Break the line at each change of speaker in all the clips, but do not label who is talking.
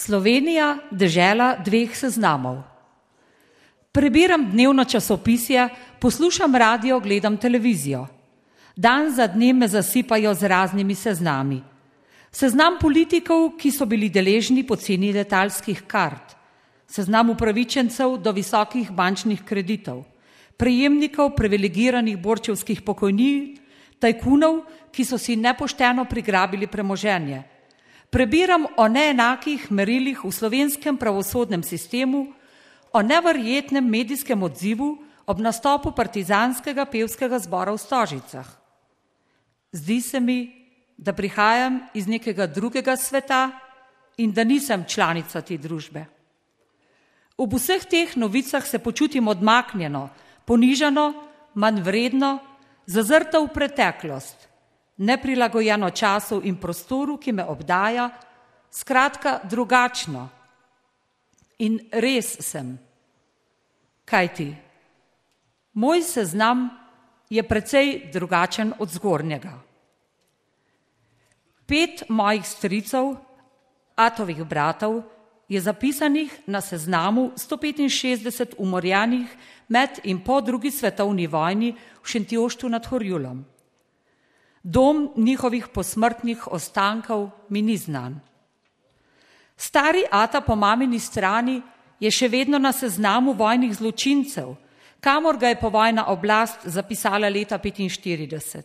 Slovenija, dežela dveh seznamov. Prebiram dnevno časopisje, poslušam radio, gledam televizijo. Dan za dnem me zasipajo z raznimi seznami. Seznam politikov, ki so bili deležni poceni letalskih kart. Seznam upravičencev do visokih bančnih kreditov. Prejemnikov privilegiranih borčevskih pokojnin, tajkunov, ki so si nepošteno prigrabili premoženje. Prebiram o neenakih merilih v slovenskem pravosodnem sistemu, o neverjetnem medijskem odzivu ob nastopu partizanskega pevskega zbora v Stožicah. Zdi se mi, da prihajam iz nekega drugega sveta in da nisem članica te družbe. Ob vseh teh novicah se počutim odmaknjeno, ponižano, manjvredno, zazrta v preteklost, neprilagojeno času in prostoru, ki me obdaja, skratka drugačno. In res sem. Kajti, moj seznam je precej drugačen od zgornjega. 5 mojih stricev, atovih bratov, je zapisanih na seznamu 165 umorjenih med in po drugi svetovni vojni v Šentjoštu nad Horjulom. Dom njihovih posmrtnih ostankov mi ni znan. Stari ata po mamini strani je še vedno na seznamu vojnih zločincev, kamor ga je povojna oblast zapisala leta 1945.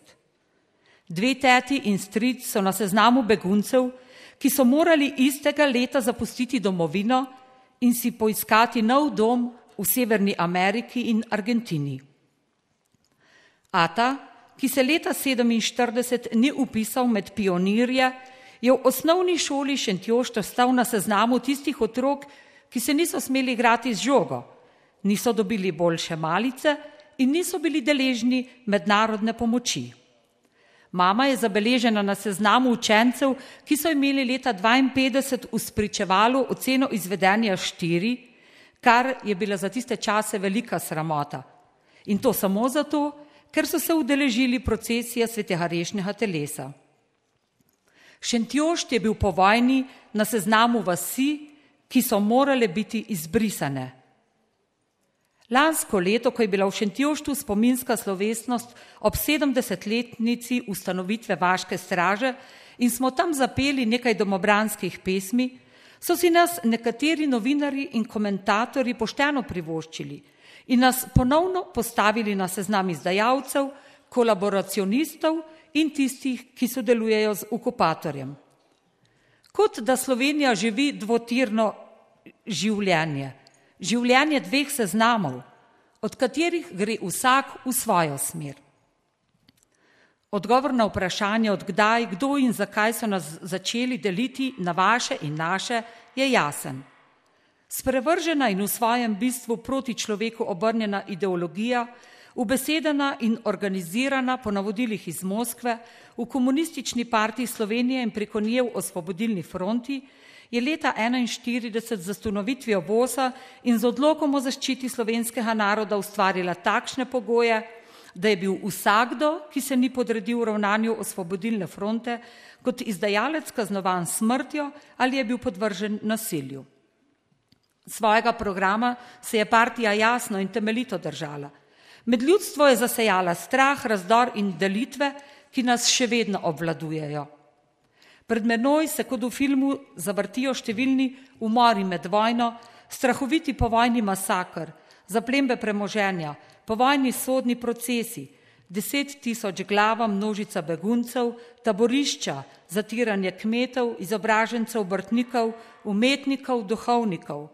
2 teti in stric so na seznamu beguncev, ki so morali istega leta zapustiti domovino in si poiskati nov dom v Severni Ameriki in Argentini. Ata, ki se leta 1947 ni upisal med pionirje, je v osnovni šoli Šentjošt ostal na seznamu tistih otrok, ki se niso smeli igrati z žogo, niso dobili boljše malice in niso bili deležni mednarodne pomoči. Mama je zabeležena na seznamu učencev, ki so imeli leta 1952 v spričevalu oceno izvedenja 4, kar je bila za tiste čase velika sramota. In to samo zato, ker so se udeležili procesije svetega rešnega telesa. Šentjošt je bil po vojni na seznamu vasi, ki so morale biti izbrisane. Lansko leto, ko je bila v Šentjoštu spominska slovesnost ob 70-letnici ustanovitve Vaške straže in smo tam zapeli nekaj domobranskih pesmi, so si nas nekateri novinarji in komentatorji pošteno privoščili in nas ponovno postavili na seznam izdajalcev, kolaboracionistov in tistih, ki sodelujejo z okupatorjem. Kot da Slovenija živi dvotirno življenje, življenje 2 seznamov, od katerih gre vsak v svojo smer. Odgovor na vprašanje, od kdaj, kdo in zakaj so nas začeli deliti na vaše in naše, je jasen. Sprevržena in v svojem bistvu proti človeku obrnjena ideologija, ubesedena in organizirana po navodilih iz Moskve v Komunistični partiji Slovenije in preko nje v Osvobodilni fronti, je leta 1941 z ustanovitvijo VOS-a in z odlokom o zaščiti slovenskega naroda ustvarila takšne pogoje, da je bil vsakdo, ki se ni podredil ravnanju Osvobodilne fronte, kot izdajalec kaznovan s smrtjo ali je bil podvržen nasilju. Svojega programa se je partija jasno in temeljito držala. Med ljudstvo je zasejala strah, razdor in delitve, ki nas še vedno obvladujejo. Pred menoj se kot v filmu zavrtijo številni umori med vojno, strahoviti povojni masakr, zaplembe premoženja, povojni sodni procesi, 10 000 glava, množica beguncev, taborišča, zatiranje kmetov, izobražencev, obrtnikov, umetnikov, duhovnikov,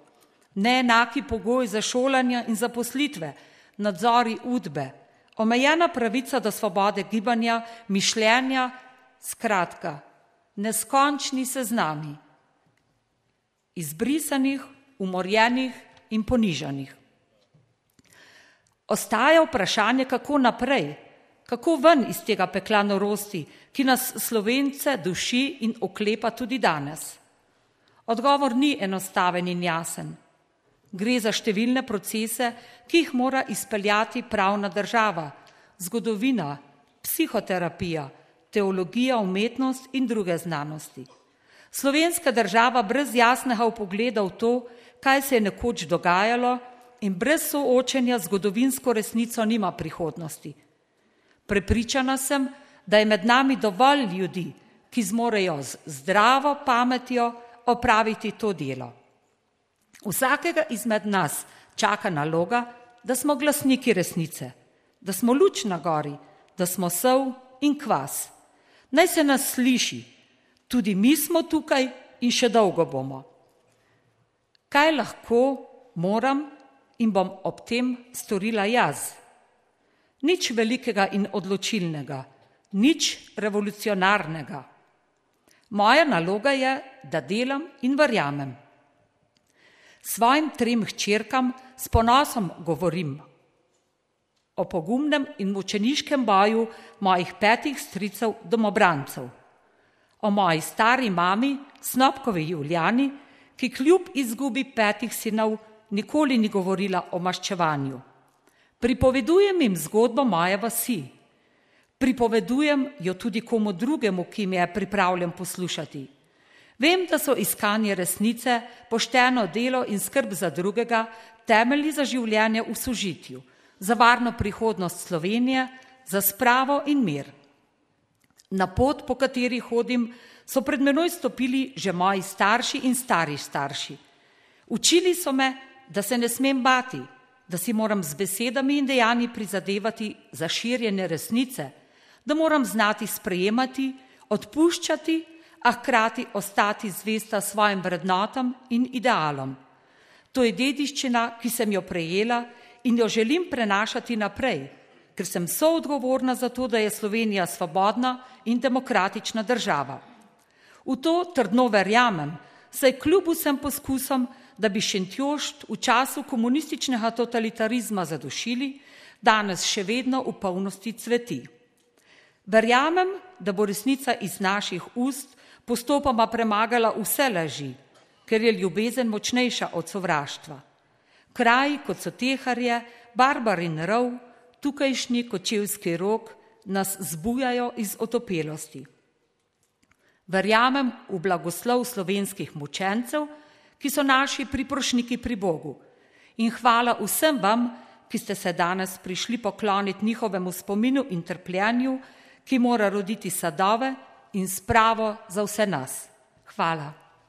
neenaki pogoj za šolanje in zaposlitve, nadzori udbe, omejena pravica do svobode gibanja, mišljenja, skratka, neskončni seznami izbrisanih, umorjenih in ponižanih. Ostaja vprašanje, kako naprej, kako ven iz tega pekla norosti, ki nas Slovence duši in oklepa tudi danes. Odgovor ni enostaven in jasen. Gre za številne procese, ki jih mora izpeljati pravna država, zgodovina, psihoterapija, teologija, umetnost in druge znanosti. Slovenska država brez jasnega vpogleda v to, kaj se je nekoč dogajalo, in brez soočenja z zgodovinsko resnico nima prihodnosti. Prepričana sem, da je med nami dovolj ljudi, ki zmorejo z zdravo pametjo opraviti to delo. Vsakega izmed nas čaka naloga, da smo glasniki resnice, da smo luč na gori, da smo sol in kvas. Naj se nas sliši, tudi mi smo tukaj in še dolgo bomo. Kaj lahko, moram in bom ob tem storila jaz? Nič velikega in odločilnega, nič revolucionarnega. Moja naloga je, da delam in verjamem. Svojim 3 hčerkam s ponosom govorim o pogumnem in mučeniškem boju mojih 5 stricev domobrancev, o moji stari mami, Snopkovi Julijani, ki kljub izgubi 5 sinov nikoli ni govorila o maščevanju. Pripovedujem jim zgodbo moje vasi. Pripovedujem jo tudi komu drugemu, ki me je pripravljen poslušati. Vem, da so iskanje resnice, pošteno delo in skrb za drugega temelji za življenje v sožitju, za varno prihodnost Slovenije, za spravo in mir. Na pot, po kateri hodim, so pred menoj stopili že moji starši in stari starši. Učili so me, da se ne smem bati, da si moram z besedami in dejanji prizadevati za širjenje resnice, da moram znati sprejemati, odpuščati, a hkrati ostati zvesta svojim vrednotam in idealom. To je dediščina, ki sem jo prejela in jo želim prenašati naprej, ker sem soodgovorna za to, da je Slovenija svobodna in demokratična država. V to trdno verjamem, saj kljub vsem poskusom, da bi Šentjošt v času komunističnega totalitarizma zadušili, danes še vedno v polnosti cveti. Verjamem, da bo resnica iz naših ust postopoma premagala vse laži, ker je ljubezen močnejša od sovraštva. Kraji, kot so Teharje, Barbarin rov, tukajšnji Kočevski Rog, nas zbujajo iz otopelosti. Verjamem v blagoslov slovenskih mučencev, ki so naši priprošniki pri Bogu. In hvala vsem vam, ki ste se danes prišli pokloniti njihovemu spominu in trpljenju, ki mora roditi sadove in spravo za vse nas. Hvala.